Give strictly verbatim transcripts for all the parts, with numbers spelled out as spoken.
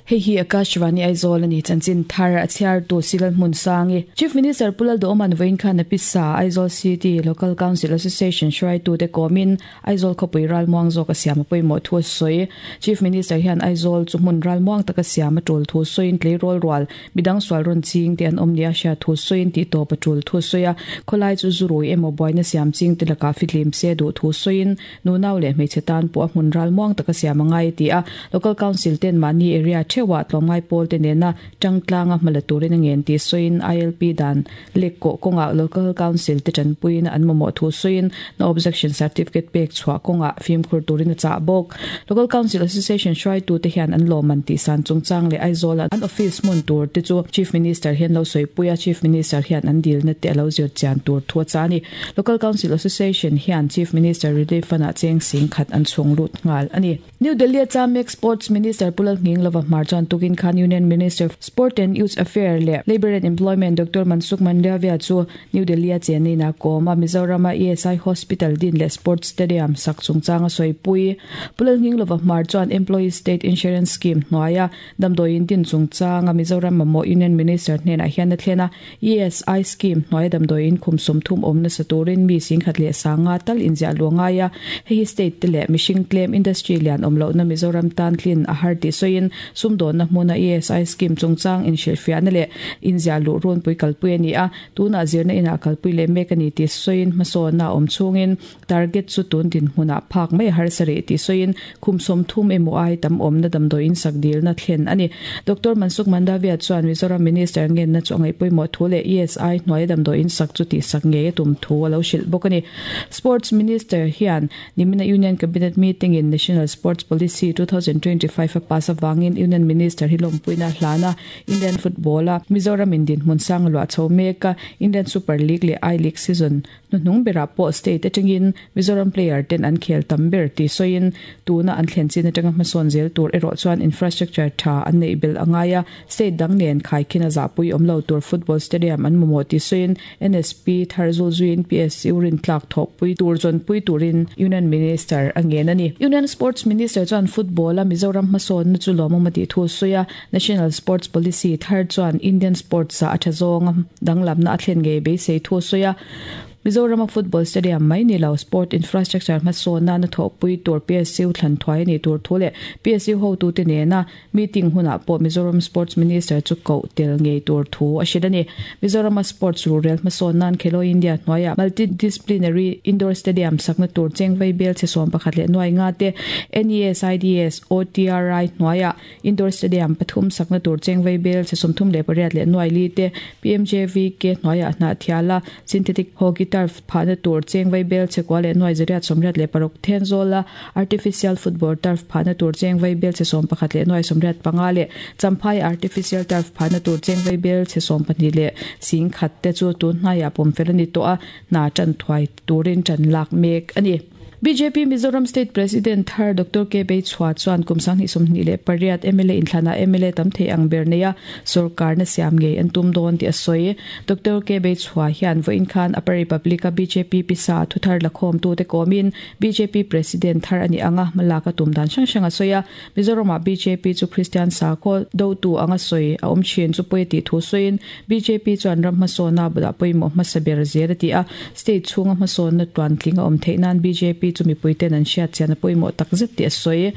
Hei hi Akashvani Aizawl ani chanchin thar a chhiar tu Silal Hmun Sangi. Chief Minister Pulal Doman vain khan apisa Aizawl City Local Council Association hruai tu te komin Aizawl khawpui ral muang zawk a siam a pawimawh thu a sawi. Chief Minister hian Aizawl chu hmun ral muang taka siam a tul thu sawiin tleirawl rual midang sual rawn ching te an awm nia hria thu sawiin tih tawp a tul thu sawi a. Khawlai chu zurui emaw buaina siam ching te lakah fitlim se duh thu sawiin nunau leh hmeichhe tan pawh a hmun ral muang taka siam a ngai ti a. Local Council ten mahni area thewa tlawmngai pawl te nena tangtlanga hmala turin a ngen ti sawiin I L P dan lek ko kawnga Local Council te tanpuiin an mamawh thu sawiin no objection certificate pek chhuah kawnga fimkhur turin a chah bawk. Local Council Association hruai tu te hian an lawman tih san chungchang leh Aizawl an office hmun tur te chu Chief Minister hian lo sawipuia Chief Minister hian an dilna te alo zir chian tur thu a cha ni. Local Council Association hian Chief Minister Relief Fund ah cheng sing khat an chhung lut nghal ani. New Delhi a Chamek Sports Minister Pulal Nging Lova Hmar chuan tukin khan Union Minister Sport and Youth Affairs leh Labour and Employment Doctor Mansukh Mandavia chu New Delhi a chenina kawma Mizoram a E S I Hospital din leh Sports Stadium sak chungchang a sawi Pulal Nging Lova Hmar chuan Employee State Insurance Scheme hnuaia damdawiin din chungchang a Mizoram mamawh Union Minister hnenah hian a thlena E S I Scheme hnuaia damdawiin khum sawm thum awm nasa turin mi singkhat leh sanga tal inziah luangaia hei state te leh mihring claim industry lian awm lohna Mizoram tan tlin a har ti sawiin sumdawnna hmuna E S I Scheme chungchang inhrilhfiahna leh inziah luh runpui kalpui ani a tuna zirna inah kalpui leh mek ani ti sawiin hmasawnna awm chungin target chu tun din hmunah phak mai har sari ti sawiin khum sawm thum emaw ai tam awmna damdawiin sak dilna thlen ani. Doctor Mansukh Mandavia chuan Mizoram Minister ngenna chu angai pawimawh thu leh E S I hnuaia damdawiin sak chu ti sak nge tum thu alo hrilh bawk ani. Sports Minister hian nimina Union Cabinet meeting in National Sports Policy twenty twenty-five a pass awangin Union Minister hi lawmpuina hlana Indian football a Mizoram in din hmun sang lua chho meka Indian Super League leh I League season hnuhnung berah pawh state atangin Mizoram player ten an khel tam ber ti sawiin tuna an thlen chin atanga hmasawn zel tur erawh chuan infrastructure tha an nei bel angaia state dang nen khaikhina zapui awmlo tur football stadium an mamawh ti sawiin N S P Tharzul zuin P S U rin tlak thawk pui tur zawn pui turin Union Minister a ngen ani. Union Sports Minister chuan football a Mizoram hmasawn na chu lawmawm a tih thu sawi a National Sports Policy thar chuan Indian sports a tha zawng danglamna a thlen ngei beisei thu sawi a Mizoram a football stadium mai ni lo sport infrastructure hmasawnna na thawhpui tur P S U thlan thuai ani tur thu leh P S U hotu te nena meeting hunah pawh Mizoram Sports Minister chu koh tel ngei tur thu a hrilh ani. Mizoram a sports rural hmasawnnan Khelo India hnuaia multidisciplinary indoor stadium sakna tur chengvei bel che sawm pakhat leh nuai nga te N E S I D S O T R I hnuaia indoor stadium pathum sakna tur chengvei bel che sawmthum leh pariat leh nuai li te P M J V K hnuaia hna thiala synthetic hockey turf phahna tur chengvei bel che kwa leh nuai zariat sawmriat leh paruk Thenzawl artificial football turf phahna tur chengvei bel che sawm pakhat leh nuai sawmriat panga leh Champhai artificial turf phahna tur chengvei bel che sawm pahnih leh sing khat te chu tun hnaiah pawm fel ani tawh a hna tan thuai turin tan lak mek ani. B J P Mizoram State President thar Doctor K Bei Chua chuan kumsang ni sawmhnih leh pariat M L A inthlana M L A tam thei ang ber neia sarkar na siam ngei an tum dawn ti a sawi. Doctor K Bei Chua hian vawiin khan Upper Republic a B J P pisa thuthar lakhawm tu te kawmin B J P President thar ani anga malaka tum dan hrang hrang a sawi a. Mizoram a B J P chu Christian sakhaw do tu anga sawi a awm thin chu pawi tih thu sawiin B J P chuan ram hmasawna bulah pawimawh hmasa ber zel a ti a. State chhunga hmasawnna tuan tling a awm theih nan B J P chu mipui ten an hriat chian a pawimawh tak zet ti a sawi.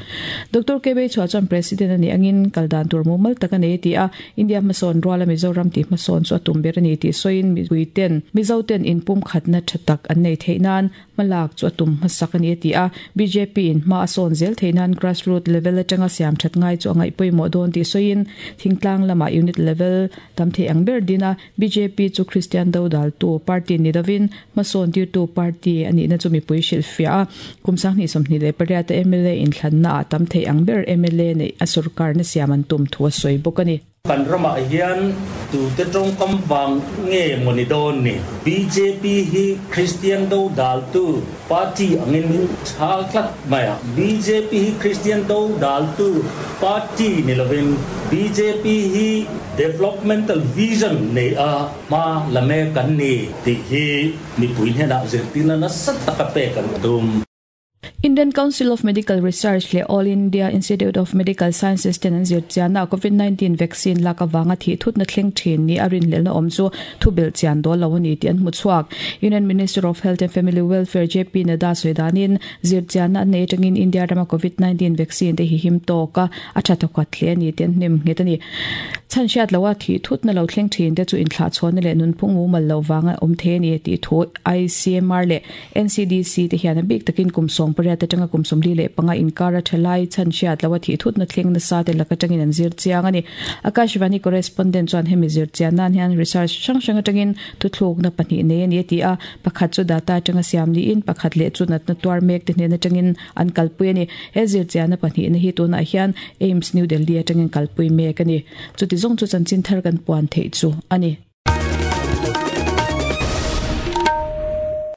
Doctor K Bei Chua chuan President ani angin kaldan tur mumal tak ani ti a India hmasawn ruala Mizoram ti hmasawn chu a tum ber ani ti sawiin mipui ten Mizo ten inpum khatna tha tak an nei theih nan hmalak chu a tum hmasak ani ti a B J P in hma a sawn zel theih nan grassroots level atanga siam that ngai chu angai pawimawh dawn ti sawiin thingtlang lama unit level tam thei ang ber dina B J P chu Christian do dal tu party ni lovin hmasawn tir tu party ani na chu mipui hrilhfiah a kumsang ni sawmhnih leh pariat M L A inthlanna a tam thei ang ber M L A nei a sarkar na siam an tum thu a sawi bawk ani. Kan rama hian tu te tawng kam wang nge mawni dawn ni B J P hi Christian do dal tu party angin min chhal tlat mai a B J P hi Christian do dal tu party ni lovin B J P hi developmental vision nei a ma lame kan ni ti hi mi pui hna zirtina na sat taka pe kan tum. Indian Council of Medical Research leh All India Institute of Medical Sciences ten an zir chianna COVID nineteen vaccine lak awanga thih thutna thleng thin ni a rinhlelhna awm chu thubilh chian dawl lo a ni tih an hmu chhuak. Union Minister of Health and Family Welfare J P Nadda sawi danin zir chianna an nei atangin India rama COVID nineteen vaccine te hi him tawk a, a tha thawkhat hle a ni tih an hnem nghet a ni. Chhan hriat loha thih thutna lo thleng thin te chu inthlah chhawnna leh nunphung mumal lo vanga awm thei a ni tih thu I C M R leh N C D C te hian a bik takin kum sawm pariat atanga kum sawmli leh panga inkar a thalai chhan hriat loha thih thutna thleng nasa te lak atangin an zir chiang a ni. Akashvani correspondent chuan hemi zir chian nan hian research hrang hrang atangin thuthlukna pahnih nei a ni a ti a, pakhat chu data atanga siam niin pakhat leh chu natna tuar mek te hnen atangin an kalpui a ni. He zir chianna pahnih na hi tunah hian AIIMS New Delhi atangin kalpui mek a ni. Chuti zawng chu chanchin thar kan puan theih chu a ni.